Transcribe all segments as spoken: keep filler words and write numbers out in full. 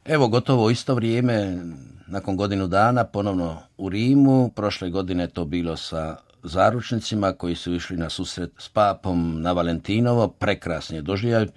Evo, gotovo isto vrijeme, nakon godinu dana, ponovno u Rimu. Prošle godine to bilo sa zaručnicima koji su išli na susret s papom na Valentinovo. Prekrasni je doživljaj.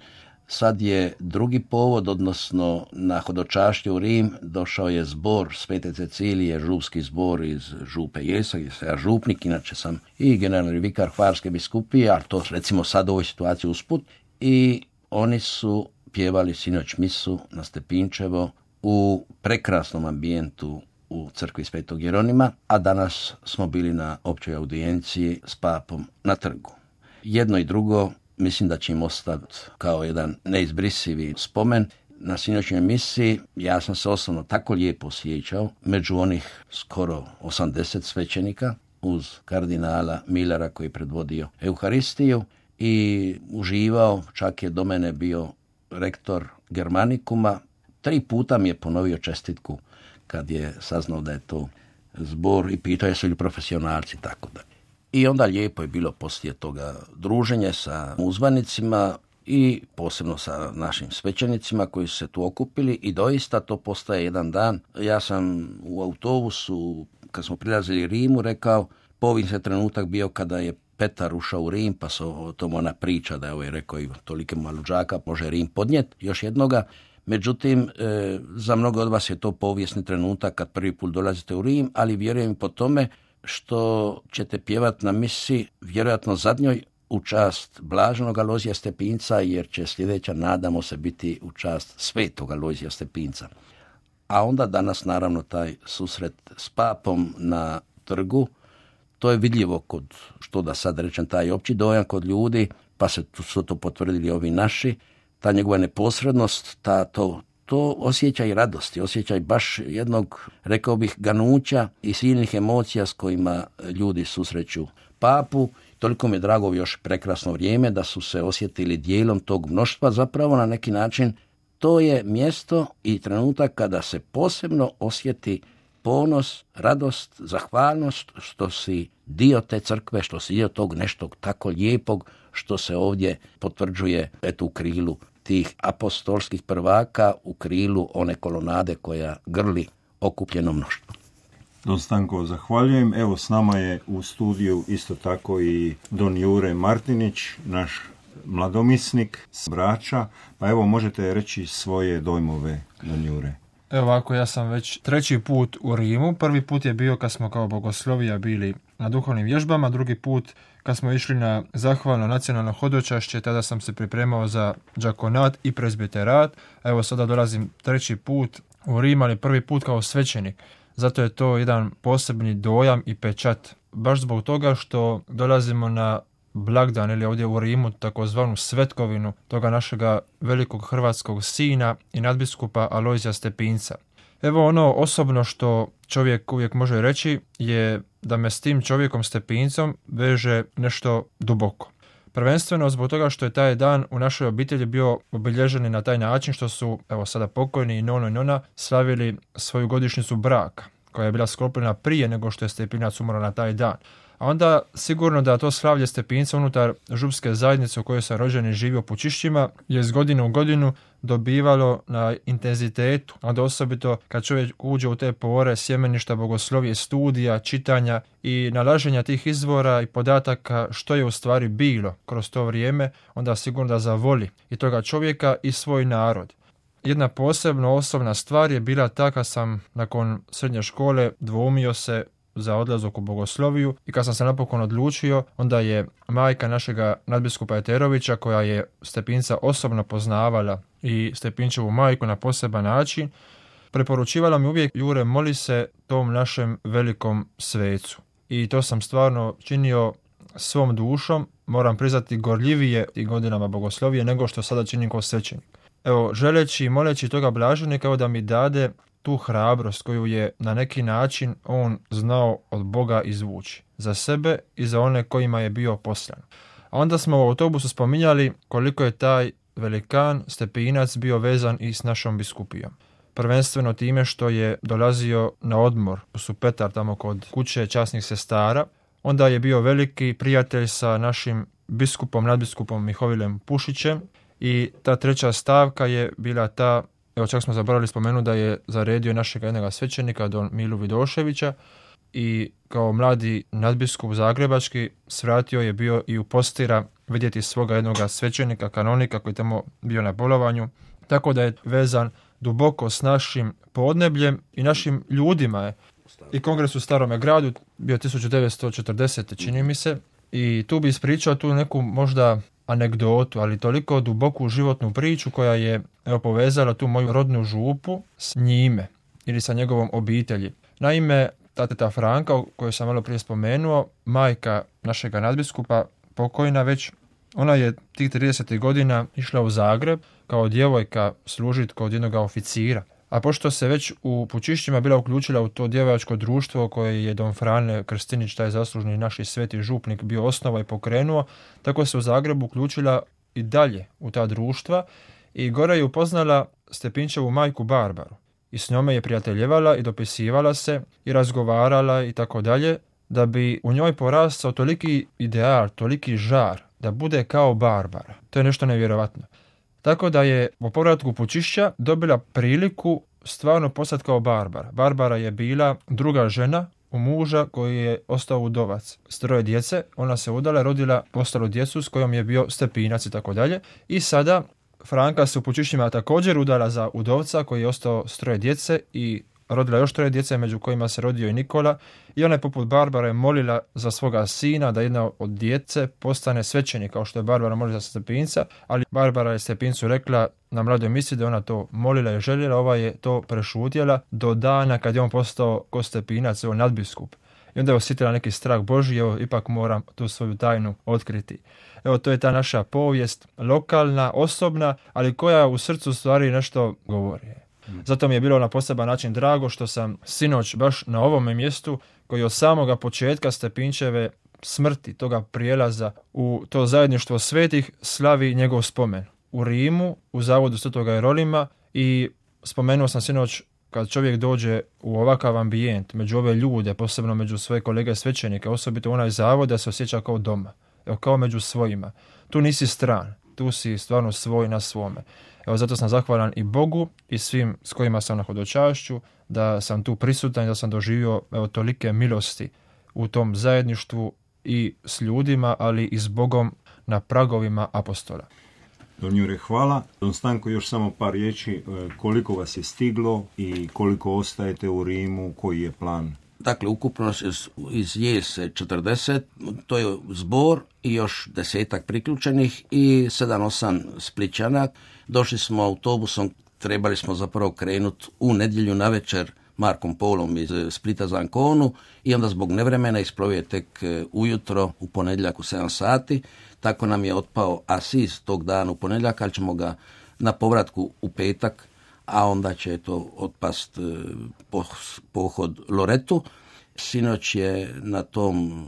Sad je drugi povod, odnosno na hodočašću u Rim došao je zbor Svete Cecilije, župski zbor iz Župe Jesog, gdje sam ja župnik, inače sam i generalni vikar Hvarske biskupije, ali to recimo sad u ovoj situaciji usput. I oni su pjevali sinoć misu na Stepinčevo u prekrasnom ambijentu u crkvi Svetog Jeronima, a danas smo bili na općoj audijenciji s papom na trgu. Jedno i drugo mislim da će im ostati kao jedan neizbrisivi spomen. Na sinoćnjoj misiji ja sam se osobno tako lijepo osjećao među onih skoro osamdeset svećenika uz kardinala Millera koji je predvodio Euharistiju i uživao, čak je do mene bio rektor Germanikuma. Tri puta mi je ponovio čestitku kad je saznao da je to zbor i pitao jesu li profesionalci, tako da. I onda lijepo je bilo poslije toga druženje sa uzvanicima i posebno sa našim svećenicima koji su se tu okupili i doista to postaje jedan dan. Ja sam u autobusu, kad smo prilazili Rimu, rekao, povin se trenutak bio kada je Petar ušao u Rim, pa se o tom ona priča da je ovaj rekao i tolike maluđaka može Rim podnijet, još jednoga. Međutim, e, za mnogo od vas je to povijesni trenutak kad prvi put dolazite u Rim, ali vjerujem po tome što ćete pjevati na misi, vjerojatno zadnjoj, u čast blaženog Alojzija Stepinca, jer će sljedeća, nadamo se, biti u čast svetog Alojzija Stepinca. A onda danas, naravno, taj susret s papom na trgu, to je vidljivo kod, što da sad rečem, taj opći dojam kod ljudi, pa se su to potvrdili ovi naši, ta njegova neposrednost, ta, to, to osjećaj radosti, osjećaj baš jednog, rekao bih, ganuća i silnih emocija s kojima ljudi susreću papu. Toliko mi je drago još prekrasno vrijeme da su se osjetili dijelom tog mnoštva, zapravo na neki način to je mjesto i trenutak kada se posebno osjeti ponos, radost, zahvalnost što si dio te crkve, što si dio tog nešto tako lijepog što se ovdje potvrđuje eto u krilu tih apostolskih prvaka, u krilu one kolonade koja grli okupljeno mnoštvo. Don Stanko, zahvaljujem. Evo s nama je u studiju isto tako i don Jure Martinić, naš mladomisnik s Brača. Pa evo možete reći svoje dojmove, don Jure. Evo ovako, ja sam već treći put u Rimu. Prvi put je bio kad smo kao bogoslovija bili na duhovnim vježbama, drugi put kad smo išli na zahvalno nacionalno hodočašće, tada sam se pripremao za džakonat i prezbiterat. Evo sada dolazim treći put u Rim, ali prvi put kao svećenik. Zato je to jedan posebni dojam i pečat. Baš zbog toga što dolazimo na blagdan ili ovdje u Rimu takozvanu svetkovinu toga našega velikog hrvatskog sina i nadbiskupa Alojzija Stepinca. Evo ono osobno što čovjek uvijek može reći je da me s tim čovjekom Stepincom veže nešto duboko. Prvenstveno zbog toga što je taj dan u našoj obitelji bio obilježen na taj način što su, evo sada pokojni i nono i nona, slavili svoju godišnjicu braka, koja je bila sklopljena prije nego što je Stepinac umro na taj dan. A onda sigurno da to slavlje Stepinca unutar župske zajednice u kojoj sam rođen i živio u Pučišćima je iz godine u godinu dobivalo na intenzitetu, a onda osobito kad čovjek uđe u te pore sjemeništa bogoslovije, studija, čitanja i nalaženja tih izvora i podataka što je u stvari bilo kroz to vrijeme, onda sigurno da zavoli i toga čovjeka i svoj narod. Jedna posebno osobna stvar je bila ta kad sam nakon srednje škole dvoumio se za odlazak u bogosloviju i kad sam se napokon odlučio, onda je majka našega nadbiskupa Eterovića, koja je Stepinca osobno poznavala i Stepinčevu majku na poseban način, preporučivala mi uvijek: Jure, moli se tom našem velikom svecu. I to sam stvarno činio svom dušom, moram priznati gorljivije i godinama bogoslovije nego što sada činim kao svećenik. Evo, želeći i moleći toga blaženika da mi dade tu hrabrost koju je na neki način on znao od Boga izvući za sebe i za one kojima je bio poslan. A onda smo u autobusu spominjali koliko je taj velikan Stepinac bio vezan i s našom biskupijom. Prvenstveno time što je dolazio na odmor u Supetar, tamo kod kuće časnih sestara. Onda je bio veliki prijatelj sa našim biskupom, nadbiskupom Mihovilem Pušićem. I ta treća stavka je bila ta Evo čak smo zaboravili spomenuti da je zaredio našeg jednog svećenika, don Milu Vidoševića, i kao mladi nadbiskup zagrebački svratio je bio i u Postira vidjeti svoga jednog svećenika, kanonika koji tamo bio na bolovanju, tako da je vezan duboko s našim podnebljem i našim ljudima je. I kongres u Starome gradu bio tisuću devetsto četrdesete čini mi se, i tu bi ispričao tu neku možda anegdotu, ali toliko duboku životnu priču koja je evo, povezala tu moju rodnu župu s njime ili sa njegovom obitelji. Naime, ta teta Franka, koju sam malo prije spomenuo, majka našega nadbiskupa, pokojna već, ona je tih tridesetih godina išla u Zagreb kao djevojka služiti kod jednog oficira. A pošto se već u Pučišćima bila uključila u to djevojačko društvo koje je don Frane Krstinić, taj zaslužni naš sveti župnik, bio osnova i pokrenuo, tako se u Zagrebu uključila i dalje u ta društva i gore je upoznala Stepinčevu majku Barbaru. I s njome je prijateljevala i dopisivala se i razgovarala i tako dalje, da bi u njoj porastao toliki ideal, toliki žar, da bude kao Barbara. To je nešto nevjerovatno. Tako da je po povratku Pučišća dobila priliku stvarno postati kao Barbara. Barbara je bila druga žena u muža koji je ostao udovac s troje djece. Ona se udala, rodila postalu djecu s kojom je bio Stepinac i tako dalje. I sada Franka se u Pučišćima također udala za udovca koji je ostao s troje djece i rodila još troje djece, među kojima se rodio i Nikola, i ona je poput Barbare molila za svoga sina da jedna od djece postane svećenik, kao što je Barbara molila za Stepinca, ali Barbara je Stepincu rekla na mladoj misli da ona to molila i željela, ova je to prešutjela do dana kad je on postao ko Stepinac, evo nadbiskup. I onda je osjetila neki strah Božji, evo ipak moram tu svoju tajnu otkriti. Evo to je ta naša povijest, lokalna, osobna, ali koja u srcu stvari nešto govori. Zato mi je bilo na poseban način drago što sam sinoć baš na ovome mjestu, koji od samoga početka Stepinčeve smrti, toga prijelaza u to zajedništvo svetih, slavi njegov spomen. U Rimu, u zavodu Svetoga Jerolima, i spomenuo sam sinoć kad čovjek dođe u ovakav ambijent, među ove ljude, posebno među svoje kolege svećenike, osobito u onaj zavod, da se osjeća kao doma, evo, kao među svojima. Tu nisi stran, tu si stvarno svoj na svome. Evo, zato sam zahvalan i Bogu i svim s kojima sam na hodočašću, da sam tu prisutan i da sam doživio evo, tolike milosti u tom zajedništvu i s ljudima, ali i s Bogom na pragovima apostola. Don Jure, hvala. Don Stanko, još samo par riječi, koliko vas je stiglo i koliko ostajete u Rimu, koji je plan? Dakle, ukupno iz Jese četrdeset, to je zbor i još desetak priključenih i sedam osam Splićana. Došli smo autobusom, trebali smo zapravo krenuti u nedjelju navečer Markom Polom iz Splita za Anconu i onda zbog nevremena isplovio tek ujutro u ponedjeljak u sedam sati. Tako nam je otpao Asis tog dana u ponedjeljak, ali ćemo ga na povratku u petak, a onda će to otpast pohod Loretu. Sinoć je na tom,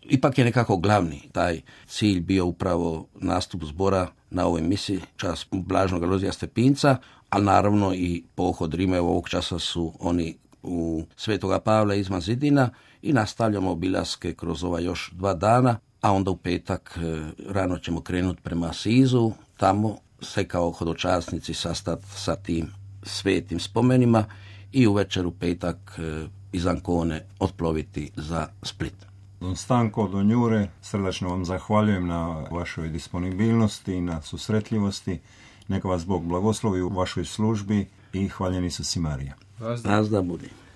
ipak je nekako glavni taj cilj bio upravo nastup zbora na ovoj misiji, čas Blažnog Alojzija Stepinca, ali naravno i pohod Rima. Ovog časa su oni u Svetoga Pavla izvan zidina i nastavljamo obilaske kroz ova još dva dana, a onda u petak rano ćemo krenuti prema Asizu, tamo se kao hodočasnici sastati sa tim svetim spomenima i uvečer u petak iz Ancone otploviti za Split. Don Stanko, Don Jure, srdačno vam zahvaljujem na vašoj disponibilnosti i na susretljivosti. Neka vas Bog blagoslovi u vašoj službi i hvaljeni su si Marija. Nazda budi.